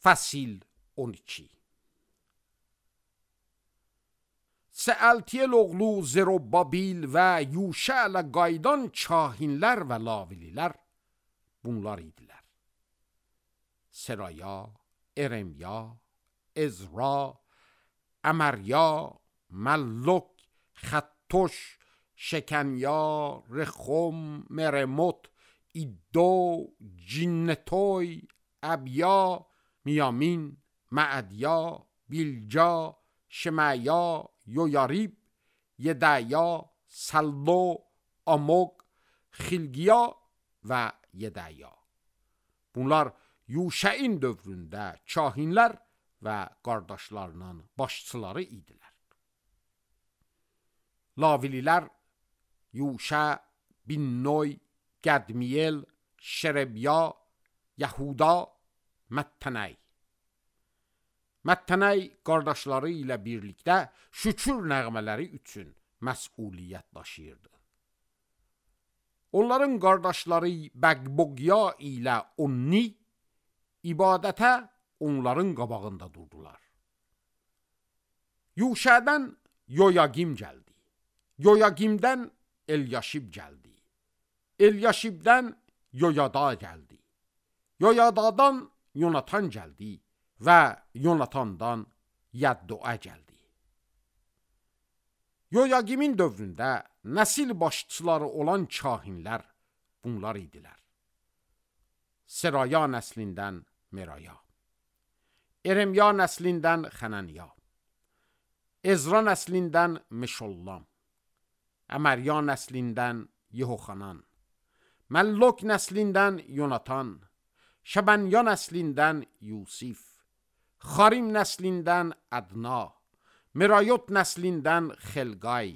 Fəsil 12. Sealtiyel oğlu Zerubabil və Yuşələ qaydan kahinlər və lavililər bunlar idilər. Seraya, Eremya, Ezra, Əmərya, Məlluk, Xəttoş, Şekenya, Rexum, Meremot, İddo, Cinnetoy, Əbya, Miyamin, Məədya, Bilca, Şemaya, Yoyarib, Yedaya, Sallo, Amog, Xilgiya və Yedaya. Bunlar Yuşəin dövründə kahinlər və qardaşlarının başçıları idilər. Lavililər Yuşə, Binnoy, Qədmiyel, Şerebya, Yahuda, Məttənəy. Məttənəy qardaşları ilə birlikdə şükür nəğmələri üçün məsuliyyət daşıyırdı. Onların qardaşları Bəqboqya ilə Onni ibadətə onların qabağında durdular. Yuşədən Yoyagim gəldi. Yoyagimdən Elyaşib gəldi. Elyaşibdən Yoyada gəldi. Yoyadadan Yonatan gəldi və Yonatandan Yaddoa gəldi. Yoyagimin dövründə nəsil başçıları olan kahinlər bunlar idilər. Seraya nəslindən Meraya, Eremya nəslindən Xənaniya, Ezra nəslindən Meşollam, Əmərya nəslindən Yehoxanan, Məlluk nəslindən Yonatan, Şəbənya nəslindən Yusif, Xarim nəslindən Ədna, Merayot nəslindən Xelqay,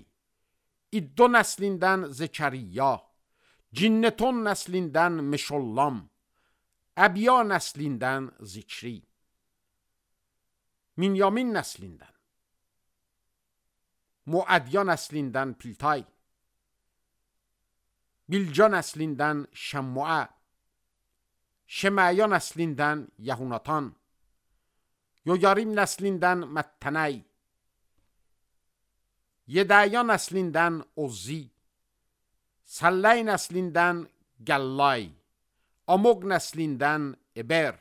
İddo nəslindən Zekəriya, Cinneton nəslindən Meşollam, Əbya nəslindən Zikri, Minyamin nəslindən, Muədya nəslindən Piltay, Bilca nəslindən Şəmmua, Şemaya nəslindən Yahunatan, Yoyarim nəslindən Məttənəy, Yedaya nəslindən Ozzi, Salləy nəslindən Gəllay, Amog nəslindən Eber,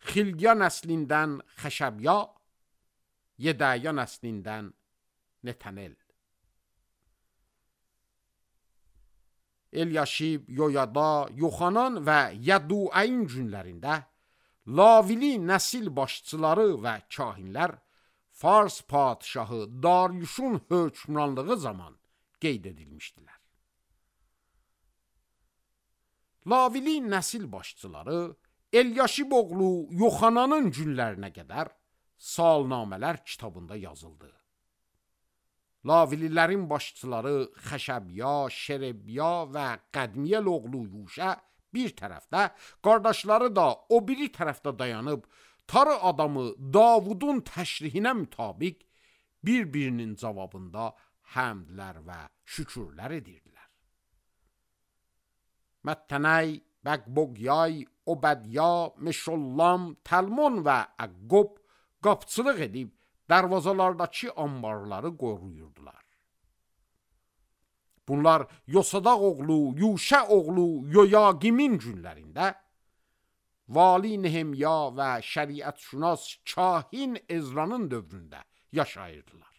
Xilgiya nəslindən Xəşəbya, Yedaya nəslindən Netanel. Elyaşib, Yoyada, Yoxanan və Yadduayin günlərində Lavili nəsil başçıları və kahinlər Fars padişahı Daryuşun hökmranlığı zaman qeyd edilmişdilər. Lavili nəsil başçıları Elyaşib oğlu Yoxananın günlərinə qədər salnamələr kitabında yazıldı. Lavililərin başçıları Xəşəbya, Şerebya və Qədmiyel oğlu Yuşə bir tərəfdə, qardaşları da o biri tərəfdə dayanıb, tarı adamı Davudun təşrihinə mütabiq bir-birinin cavabında həmdlər və şükürlər edirdilər. Məttənəy, Bəqboqyay, Obədya, Meşollam, Təlmon və Əqqob qapçılıq edib, dərvazalardakı ambarları qoruyurdular. Bunlar Yosadaq oğlu, Yuşə oğlu Yoyagimin günlərində Vali Nehemya və şəriətşünas kahin Ezranın dövründə yaşayırdılar.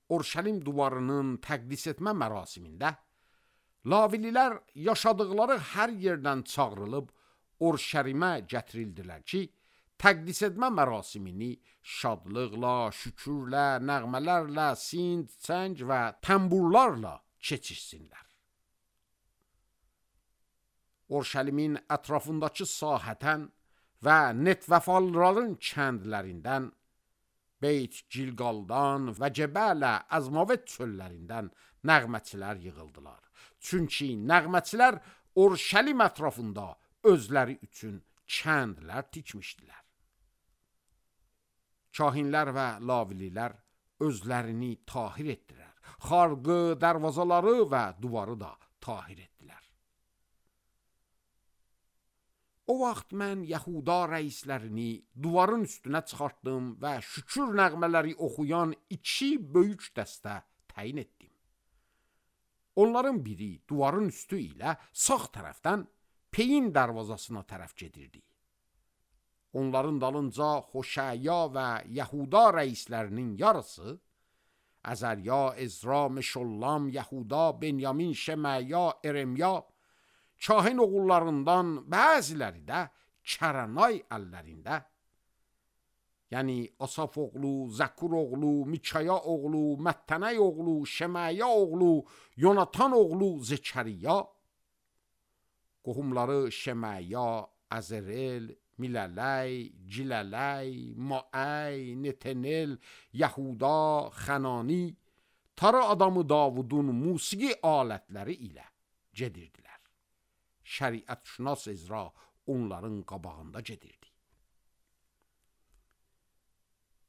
Orşəlim divarının təqdis etmə mərasimində Lavililər yaşadıqları hər yerdən çağrılıb Orşəlimə gətirildilər ki, təqdis etmə mərasimini şadlıqla, şükürlə, nəğmələrlə, sind, çəng və təmburlarla keçirsinlər. Orşəlimin ətrafındakı sahətən və Netvəfalların kəndlərindən, Beyt Gilqaldan və Cəbələ Əzmavet çöllərindən nəğməçilər yığıldılar. Çünki nəğməçilər Orşəlim ətrafında özləri üçün kəndlər tikmişdilər. Kahinlər və lavililər özlərini tahir etdilər. Xarqı, dərvazaları və duvarı da tahir etdilər. O vaxt mən Yahuda rəislərini duvarın üstünə çıxartdım və şükür nəğmələri oxuyan 2 böyük dəstə təyin etdim. Onların biri duvarın üstü ilə sağ tərəfdən Peyin darvazasına tərəf gedirdi. Onların dalınca Xoşaya və Yahuda rəislərinin yarısı, Əzərya, Ezra, Meşollam, Yahuda, Benyamin, Şeməya, Eremya, kahin oğullarından bəziləri də Kəranay əllərində, yəni Asaf oğlu, Zəkur oğlu, Mikaya oğlu, Məttənəy oğlu, Şeməya oğlu, Yonatan oğlu Zekəriya, qohumları Şeməya, Əzərel, Milələy, Cilələy, Maəy, Netenel, Yahuda, Xənani, tarı adamı Davudun musiqi alətləri ilə gedirdilər. Şəriətşünas Ezra onların qabağında gedirdi.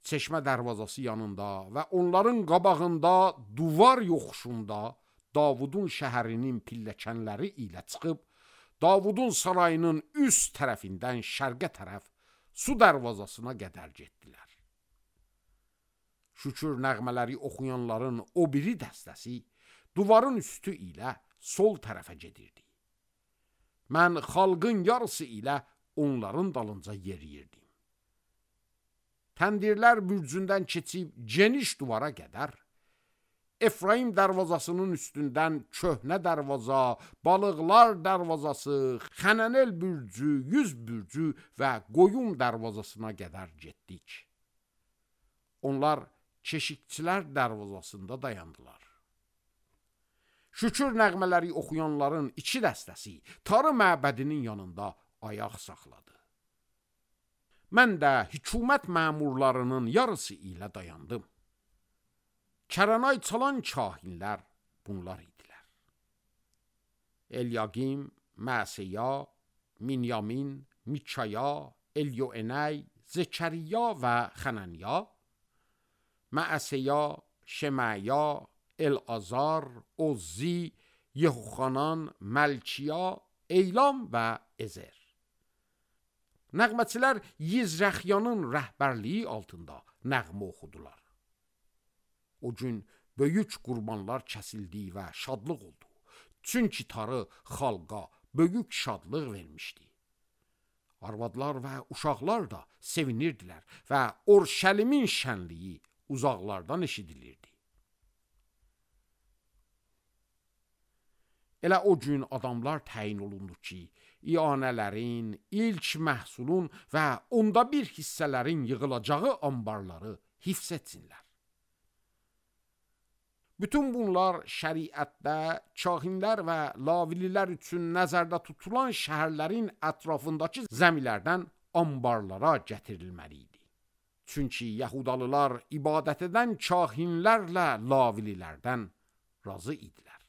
Çeşmə darvazası yanında və onların qabağında duvar yoxuşunda Davudun şəhərinin pilləkənləri ilə çıxıb, Davudun sarayının üst tərəfindən şərqə tərəf su darvazasına qədər getdilər. Şükür nəğmələri oxuyanların o biri dəstəsi duvarın üstü ilə sol tərəfə gedirdi. Mən xalqın yarısı ilə onların dalınca yeriyirdim. Təndirlər bürcündən keçib geniş duvara qədər, Efraim darvazasının üstündən köhnə darvaza, balıqlar darvazası, Xənənel bürcü, 100 bürcü və qoyun darvazasına qədər getdik. Onlar keşikçilər darvazasında dayandılar. Şükür nəğmələri oxuyanların 2 dəstəsi tarı məbədinin yanında ayaq saxladı. Mən də hökumət məmurlarının yarısı ilə dayandım. Kəranay çalan kahinlər bunlar idilər. Elyagim, Məsəya, Minyamin, Mikaya, Elyoenay, Zekəriya və Xənanya, Məsəya, Şeməya, Elazar, Ozzi, Yehoxanan, Məlkiya, Eylam və Ezer. Nəğməçilər Yizrəxyanın rəhbərliyi altında nəğmə oxudular. O gün böyük qurbanlar kəsildi və şadlıq oldu. Çünki tarı xalqa böyük şadlıq vermişdi. Arvadlar və uşaqlar da sevinirdilər və Orşəlimin şənliyi uzaqlardan eşidilirdi. Elə o gün adamlar təyin olundu ki, ianələrin, ilk məhsulun və 1/4 hissələrin yığılacağı ambarları hifz etsinlər. Bütün bunlar şəriətdə kahinlər və lavililər üçün nəzərdə tutulan şəhərlərin ətrafındakı zəmilərdən ambarlara gətirilməli idi. Çünki Yahudalılar ibadət edən kahinlərlə lavililərdən razı idilər.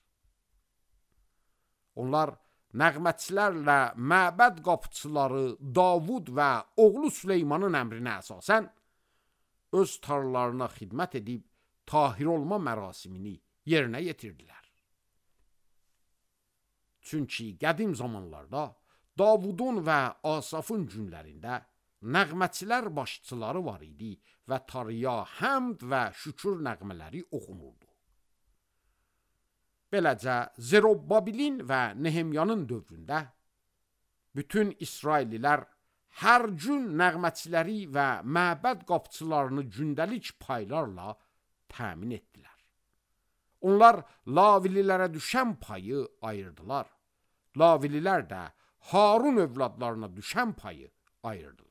Onlar nəğmətçilərlə məbəd qapıçıları Davud və oğlu Süleymanın əmrinə əsasən öz tarlalarına xidmət edib tahir olma mərasimini yerinə yetirdilər. Çünki qədim zamanlarda Davudun və Asafın günlərində nəğmətçilər başçıları var idi və tarıya həmd və şükür nəğmələri oxunurdu. Beləcə Zerubbabelin və Nehemyanın dövründə bütün İsraillilər hər gün nəğmətçiləri və məbəd qapıçılarını gündəlik paylarla təmin etdilər. Onlar lavililərə düşən payı ayırdılar. Lavililər də Harun övladlarına düşən payı ayırdılar.